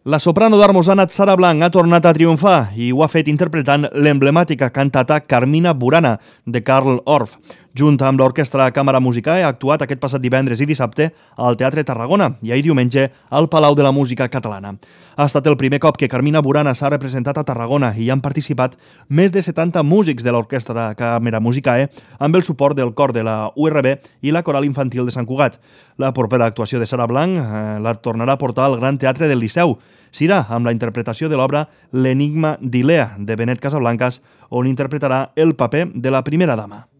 La soprano d'Armosanat Sara Blanc ha tornat a triomfar i ho ha fet interpretant l'emblemàtica cantata Carmina Burana de Carl Orff. Junt amb l'Orquestra Càmera Musicae ha actuat aquest passat divendres i dissabte al Teatre Tarragona i ahir diumenge al Palau de la Música Catalana. Ha estat el primer cop que Carmina Burana s'ha representat a Tarragona i hi han participat més de 70 músics de l'Orquestra Càmera Musicae amb el suport del cor de la URB i la Coral Infantil de Sant Cugat. La propera actuació de Sara Blanc la tornarà a portar al Gran Teatre del Liceu. Serà amb la interpretació de l'obra L'enigma d'Ilea de Benet Casablancas, on interpretarà el paper de la primera dama.